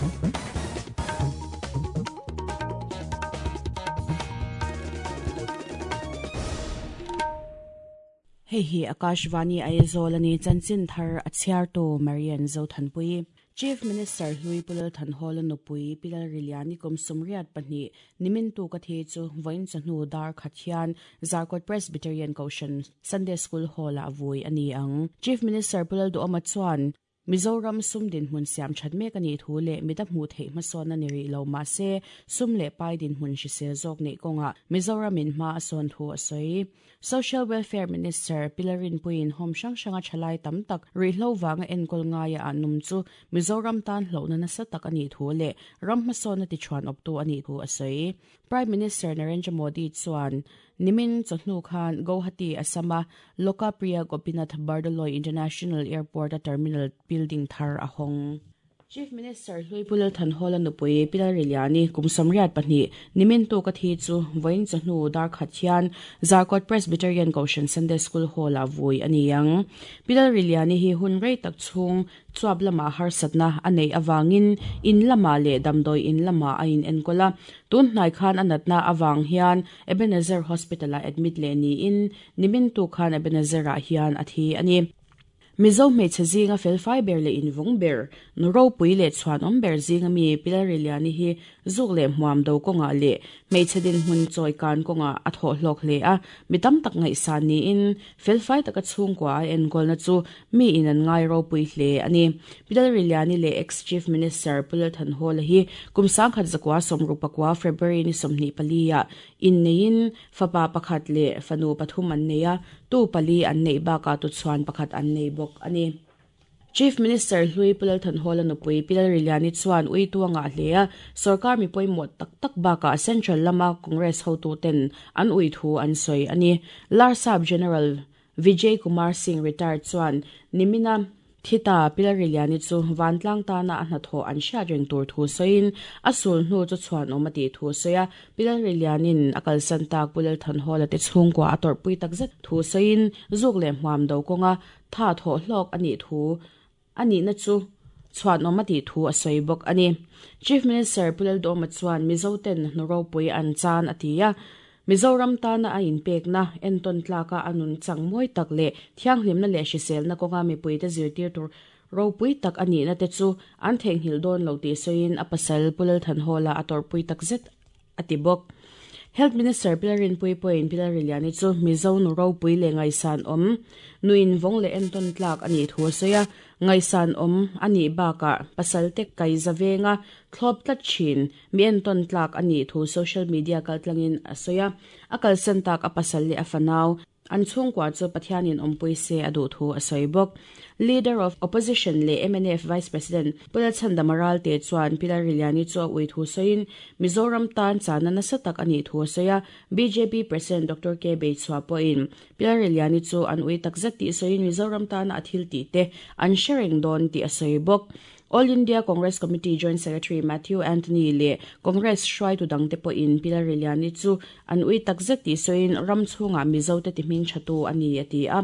Hei hi Akashvani Aizawl a ni, chanchin thar a chhiartu Marian Zothanpui. Chief Minister hlui Pu Lalthanhawla nupui Pi Lalriliani kum 32 nimin tuk a thi chu vawiin chawhnu dar khat hian Zarkawt Presbyterian Kohhran Sunday School Hall-ah vui a ni ang. Chief Minister Pu Lalduhawma chuan Mizoram sum dinhmun siam that mek a nih thu leh mida hmuh theih hmasawnna ni rih lo mah se sum leh pai dinhmun hrisel zawk neih kawngah Mizoramin hma a sawn thu a sawi. Social Welfare Minister Pi Larinpuiin home hrang hranga thalai tam tak ruihhlo vanga enkawl ngaia ah num chu Mizoram tan hlauhna nasa tak a nih thu leh ram hmasawnna tichhuan awptu a nih thu a sawi. Prime Minister Narendra Modi chuan nimin chawhnu khan Guwahati, Assam-a Lokapriya Gopinath Bardoloi International Airport-a terminal building thar a hawng. Chief Minister hlui Pu Lalthanhawla nupui Pi Lalriliani kum 32 nimin tuk a thi chu vawiin chawhnu dar khat hian Zarkawt Presbyterian Kohhran Sunday School Hall-ah vui a ni ang. Pi Lalriliani hi hun rei tak chhung chuap lamah harsatna a neih avangin in lamah leh damdawi in lamah a inenkawl a. Tun hnai khan a natna avang hian Ebenezer Hospital-ah admit leh niin nimin tuk khan Ebenezer-ah hian a thi a ni. Mizo hmeichhe zinga felfai ber leh invawng ber, nu ropui leh chhuanawm ber zinga mi Pi Lalriliani hi zuk leh hmuam do kawngah leh hmeichhe dinhmun chawi kan kawngah a thawh hlawk hle a, mi tam tak ngaihsan niin felfai taka chhungkua a enkawlna chu mi in an ngai ropui hle a ni. Pi Lalriliani leh ex-Chief Minister Pu Lalthanhawla hi kum 1969 February ni 24 ah inneiin Fapa pakhat leh fanu pathum an nei a, tu pali an neih bakah tuchhuan pakhat an nei bawk a ni. Chief Minister hlui Pu Lalthanhawla nupui Pi Lalriliani chuan uitu a ngah hle a, sorkar mi pawimawh tak tak bakah Central lama Congress hotuten an ui thu an sawi a ni. Larsap General Vijay Kumar Singh retired chuan nimina Thita Pilariliani chu vantlang tana a hnathawh an hriat reng tur thu sawiin a sul hnu chu chhuanawm a tih thu a sawi a. Pilarilianin a kalsan tak Pu Lalthanhawla te chhungkua a tawrhpui takzet thu sawiin zuk leh hmuam do kawnga tha thawh hlawk a nih thu a nihna chu chhuanawm a tih thu a sawi bawk a ni. Chief Minister Pu Laldawma chuan Mizoten hnu ropui an chan a ti a, Mizoram tana a inpekna, entawn tlaka a nun chang mawi tak leh thianghlimna leh hriselna kawnga mipuite zirtir tur ropui tak a nihna te chu an theihnghilh dawn lo tih sawiin a pasal Pu Lalthanhawla a tawrhpui takzet a ti bawk. Health Minister Pi Lalrinpuii pawhin Pi Lalriliani chu Mizo nu ropui leh ngaihsan awm, nu invawng leh entawn tlak a nih thu a sawi a, ngaihsan awm a nih bakah pasalte kaiza venga thlawp tlat thin mi entawn tlak a nih thu social media kaltlangin a sawi a, a kalsan tak a pasal leh a fanau An chhungkua chu Pathianin awmpui se a duh thu a sawi bawk. Leader of Opposition leh mnf Vice President Pu Lalchhandama Ralte chuan Pi Lalriliani chu a ui thu sawiin Mizoram tan chahna nasa tak a nih thu a sawi a. Bjp President Doctor K Beichhua pawhin Pi Lalriliani chu an ui takzet tih sawiin Mizoram tana a thil tih te an hre reng dawn tih a sawi bawk. All India Congress Committee Joint Secretary Matthew Anthony leh Congress hruaitu dangte pawhin Pi Lalriliani chu an ui takzet tih sawiin ram chhungah Mizote ti hming thatu a ni a ti a.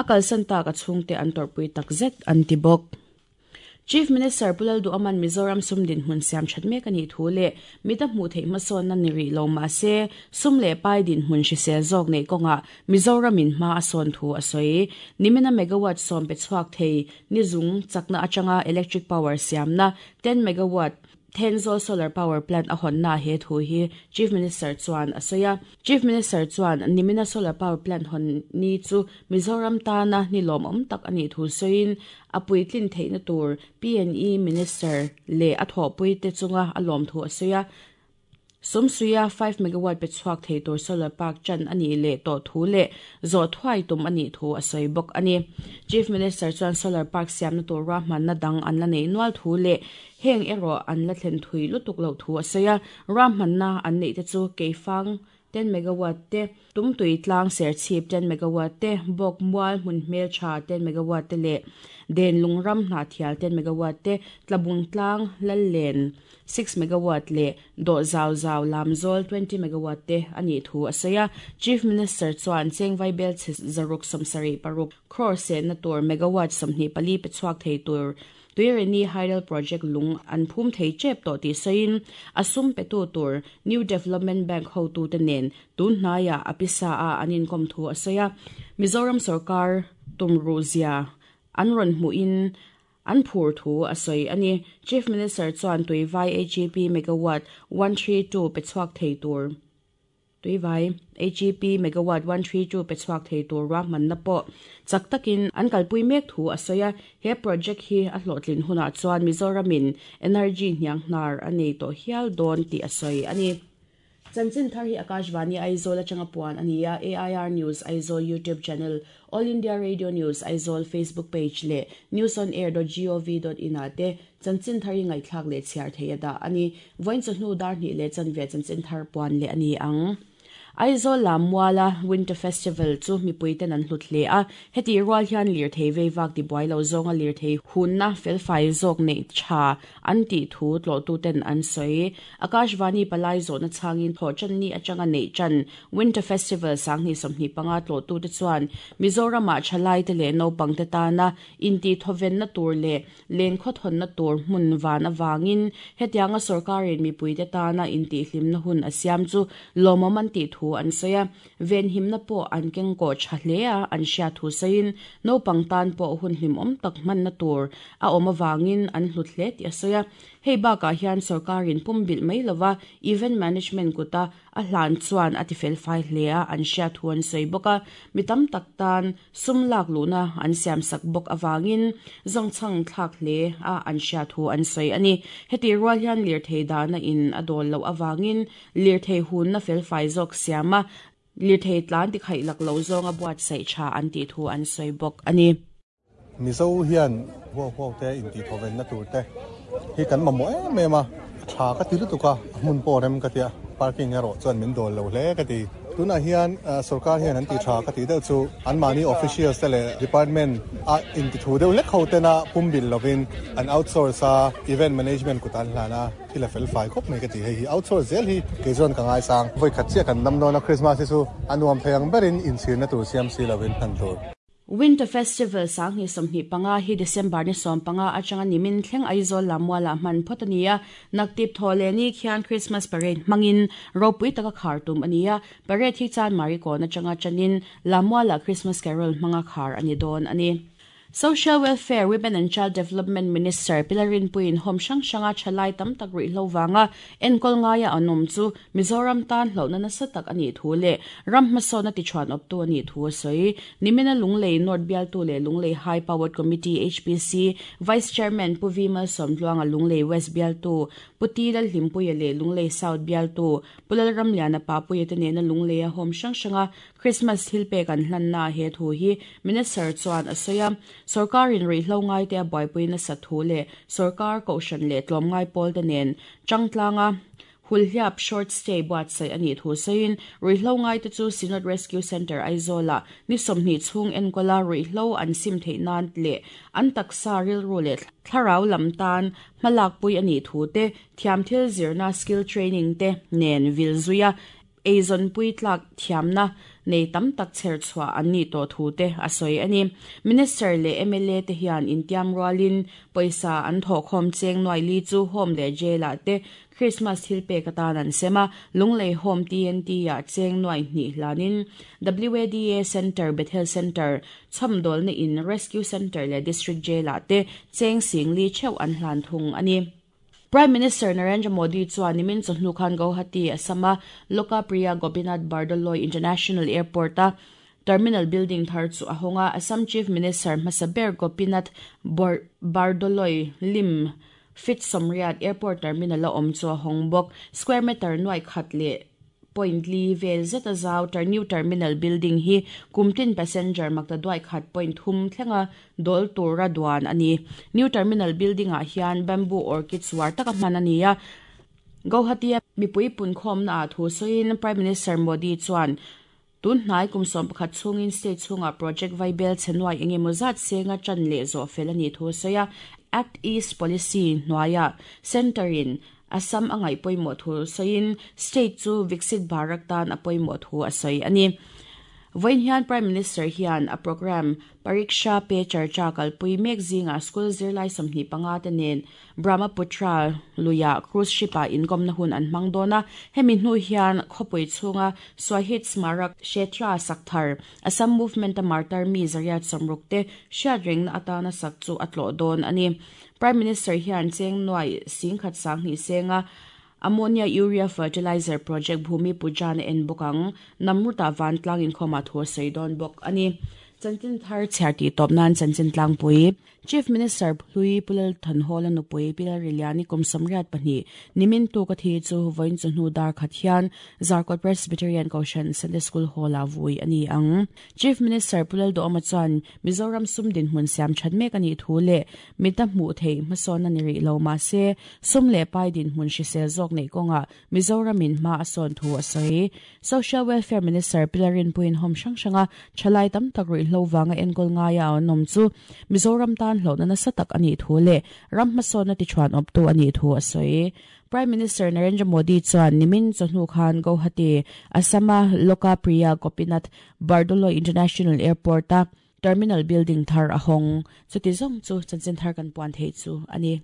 A kalsan tak a chhungte an tawrhpui takzet an ti bawk. Chief Minister Pu Lalduhaman Mizoram sum dinhmun siam that mek a nih thu leh mida hmuh theih hmasawnna ni rih lo mah se sum leh pai dinhmun hrisel zawk neih kawngah Mizoramin hma a sawn thu a sawi. Nimina megawatt 10 pe chhuak thei Ni zung chakna atanga electric power siamna 10 megawatt Thenzawl Solar Power Plant a hawnna he thu hi Chief Minister chuan a sawi a. Chief Minister chuan nimina Solar Power Plant hawn ni chu Mizoram tana ni lawmawm tak a nih thu sawiin a puitlin theihna tur PNE Minister leh a thawhpuite chunga a lawm thu a sawi a. Sawmsuia 5 megawatt pe chhuak thei tur solar park chan a nih leh tawh thu leh zawh thuai tum a nih thu a sawi bawk a ni. Chief Minister chuan solar park siamna tur ruahmanna dang an la neih nual thu leh heng erawh an la thlen thui lutuk loh thu a sawi a. Ruahmanna an neih te chu Keifang 10 megawatt te, Tumtui tlang serchhip 10 megawatt te, Bawk mual hmun hmeltha 10 megawatt te leh Den lungram hnahthial 10 megawatt te, Tlabung tlang Lallen 6 megawatt leh dawh zau zau lamzawl 20 megawatt te a nih thu a sawi a. Chief Minister chuan chengvai bel chhe 676 crore sehna tur megawatt 24 pe chhuak thei tur. Tuirini Hydel Project lung an phum thei tep tawh tih sawiin a sum petu tur New Development Bank hotute nen tun hnaiah a pisa a an inkawm thu a sawi a. Mizoram sorkar tumruh zia an rawn hmuhin an phur thu a sawi a ni. Chief Minister chuan Tuivai HEP megawatt 132 pe chhuak thei tur Tuivai HEP megawatt 132 pe chhuak thei tur ruahmanna pawh chak takin an kalpui mek thu a sawi a. He project hi a hlawhtlin hunah chuan Mizoramin energy hnianghnar a nei tawh hial dawn tih a sawi a ni. Chanchin thar hi Akashvani Aizawl atanga puan a ni a, AIR News Aizawl YouTube channel, All India Radio News Aizawl Facebook page leh newsonair.gov.in ah te chanchin thar hi ngaihthlak leh chhiar thei a dah a ni. Vawiin chawhnu dar hnih leh chanve chanchin thar puan leh a ni ang. Aizawl Lammuala Winter Festival chu mipuiten an hlut hle a, hetih rual hian lirthei veivak tibuai lo zawnga lirthei hunna felfai zawk neih tha an tih thu tlawhtuten an sawi. Akashvani palai zawhna chhangin thawhṭanni atanga neih ṭan Winter Festival 2025 tlawhtute chuan Mizoramah thalaite leh naupangte tana intihthawvenna tur leh lengkhawthawnna tur hmun van avangin hetianga sorkarin mipuite tana intihhlimna hun a siam chu lawmawm an tih thu an sawi a. Venhimna pawh an kengkawh tha hle a, an hriat thu sawiin naupang tan pawh hun hlimawm tak hmanna tur a awm avangin an hlut hle tih a sawi a. Hei bakah hian sorkarin pumbilh mai lova event management kuta a hlan chuan a tifelfai hle a, an hriat thu an sawi bawk a. Mi tam tak tan sum lak luhna an siamsak bawk avangin zawngchhang thlak hle a an hriat thu an sawi a ni. Hetih rual hian lirthei dahna in a dawl loh avangin lirthei hunna felfai zawk siam a, lirthei tlan tikhaih lak lo zawnga buatsaih tha an tih thu an sawi bawk a ni. Mizo hian huau huau te intihthawvenna tur te hi kan mamawh em em a, a tha ka ti lutuk a, a hmun pawh rem ka ti a, parking erawh chuan min dawl lo hle ka ti. Tunah hian sorkar hian an ti tha ka tih deuh chu anmahni officials te leh department a intithu deuh hlek ho tena pumbilh lovin an outsource a, event management kut an hlan a, thil a fel fai khawp mai ka ti. Hei hi outsource zel hi kei chuan ka ngaisang. Vawikhat chiah kan dam dawn a, Christmas hi chu a nuam thei ang berin inchhirna tur siam si lovin hman tur. Winter Festival 2025 hi December ni 15 atanga nimin thleng Aizawl Lammualah hman phawt a ni a. Naktip thaw leh ni khian Christmas Parade hmangin ropui taka khar tum a ni a. Parade hi Chanmari kawn atanga tanin Lammualah Christmas Carol hmanga khar a ni dawn a ni. Social Welfare, Women and Child Development Minister Pi Lalrinpuiin home hrang hranga thalai tam tak ruihhlo vanga enkawl ngaia an awm chu Mizoram tan hlauhna nasa tak a nih thu leh ram hmasawnna tichhuan awptu a nih thu a sawi. Nimina Lunglei North bialtu leh Lunglei High Powered Committee, HPC, Vice Chairman Pu V Malsawmtluanga, Lunglei West bialtu Pu T Lalhlimpuia leh Lunglei South bialtu Pu Lalramliana Papuia te nena Lungleia home hrang hranga Christmas thil pek an hlanna he thu hi Minister chuan a sawi a. Sorkarin ruihhlo ngaite a buaipui nasa thu leh sorkar kohhran leh tlawmngai pawlte nen changtlanga hulhliap short stay buatsaih a nih thu sawiin ruihhlo ngaite chu Synod Rescue Centre Aizawlah ni 20 chhung enkawla ruihhlo an sim theih nan leh an taksa rilru leh thlarau lam tan hmalakpui a nih thu te thiam thil zirna skill training te nen vil zuia eizawnpui tlak thiamna nei tam tak chher chhuah an nih tawh thu te a sawi a ni. Minister leh MLA te hian intiam rualin pawisa an thawhkhawm cheng nuai li chu home leh jail ah te Christmas thil pek atan an sem a, Lunglei Home TNT ah cheng nuai hnih hlanin WADA Centre, Bethel Centre, chhawmdawlna in, Rescue Centre leh District Jail ah te cheng sing li theuh an hlan thung a ni. Prime Minister Narendra Modi chuan nimin chawhnu khan Guwahati, Assam-a Lokapriya Gopinath Bardoloi International Airport-a terminal building thar chu a hawng a. Assam Chief Minister hmasa ber Gopinath Bardoloi lim feet 80 airport terminal a awm chu a hawng bawk. Square meter nuai khat leh point li vel zet a zau new terminal building hi kumtin passenger makta duai khat point thum thlenga dawl tura duan a ni. New terminal building ah hian bamboo orchids war taka hman a ni a. Guwahati a mipui punkhawmna ah thu sawiin Prime Minister Modi chuan tun hnai kum 11 chhungin state chhunga project vaibel chenuai engemaw zat senga tan leh zawh fel a nih thu sawi a. Act East Policy hnuaia center in Assam a ngaih pawimawh thu sawiin state chu Viksit Bharat tan a pawimawh thu a sawi a ni. Vawiin hian Prime Minister hian a programme Pariksha Pe Charcha kalpui mek zingah school zirlai 25 te nen Brahmaputra luia cruise ship-ah inkawmna hun an hmang dawn a. Hemi hnu hian khawpui chhunga Swahid Smarak Kshetra sak thar, Assam Movement-a martar mi 160 te hriatrengna atana sak chu a tlawh dawn a ni. Prime Minister hian cheng nuai singkhat sanghnih senga Ammonia Urea Fertilizer Project Bhumi Pujan a en bawk ang. Namruta vantlang inkhawmah thu a sawi dawn bawk a ni. Chanchin thar chhiar tih tawp nan chanchin tlangpui Chief Minister Hlui Pu Lal Thanhawla nupui Pi Lalriliani kum 82 nimin tuk a thi chu vawiin chawhnu dar khat hian Zarkawt Presbyterian Kohhran Sunday School Hall-ah vui a ni ang. Chief Minister Pu Lalduhawma chuan Mizoram sum dinhmun siam that mek a nih thu leh mita hmuh theih hmasawn a ni rih lo mahse sum leh pai dinhmun hrisel zawk neih kawngah Mizoramin hma a sawn thu a sawi. Social Welfare Minister Pi Larinpuiin home hrang hranga thalai tam tak ruihhlo vanga enkawl ngaia a awm chu Mizoram tan hlawhna nasa tak a nih thu leh ram hmasawnna tichhuan awptu a nih thu a sawi. Prime Minister Narendra Modi chuan nimin chawhnu khan Guwahati, Assam-a Lokapriya Gopinath Bardoloi International Airport-a Terminal Building thar a hawng. Chuti zawng chu chanchin thar kan puan theih chu a ni.